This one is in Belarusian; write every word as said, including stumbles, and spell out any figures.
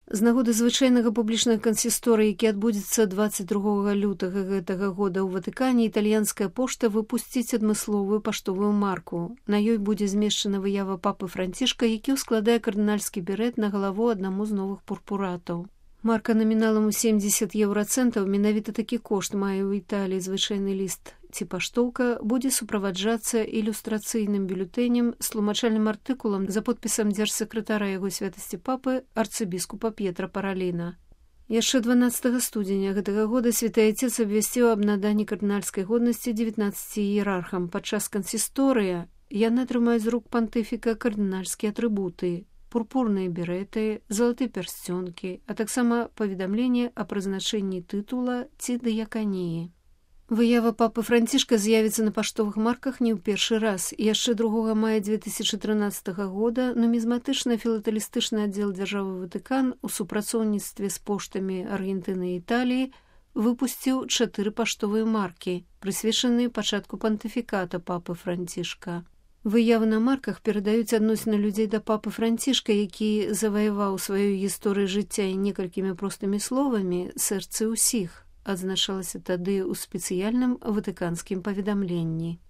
З нагоды звычайнага публічнага кансісторыя, які адбудзецца дваццаць другога лютага гэтага года ў Ватыкане, італьянская пошта выпусціць адмысловую паштовую марку. На ёй будзе змешчана выява папы Францішка, які ўскладае кардынальскі берэт на галаву аднаму з новых пурпуратаў. Марка наміналам у семдзесят еўрацэнтаў, менавіта такі кошт мае ў Італіі звычайны ліст ці паштоўка, будзе суправаджацца ілюстрацыйным бюлетэнем з тлумачальным артыкулам за подпісам дзяржсакратара яго святасці папы арцыбіскупа П'етра Параліна. Яшчэ дванаццатага студзеня гэтага года святы Отец абвясціў аб наданні кардынальскай годнасці дзевятнаццаці іерархам. Падчас кансісторыя яны атрымаюць з рук пантыфіка кардынальскія атрыбуты, пурпурныя берэты, залаты пярсцёнкі, а таксама паведамленне аб прызначэнні тытула ці дыяканіі. Выява папы Францішка з'явіцца на паштовых марках не ў першы раз. Яшчэ другога мая дзве тысячы трынаццатага года нумізматычна-філатэлістычны аддзел дзяржавы Ватыкан у супрацоўніцтве з поштамі Аргентыны і Італіі выпусціў чатыры паштовыя маркі, прысвечаныя пачатку пантыфіката папы Францішка. Выявы на марках перадаюць адносіны людзей да папы Францішка, які заваяваў сваёй гісторыі жыцця і некалькімі простымі словамі сэрцы ўсіх, адзначалася тады ў спецыяльным ватыканскім паведамленні.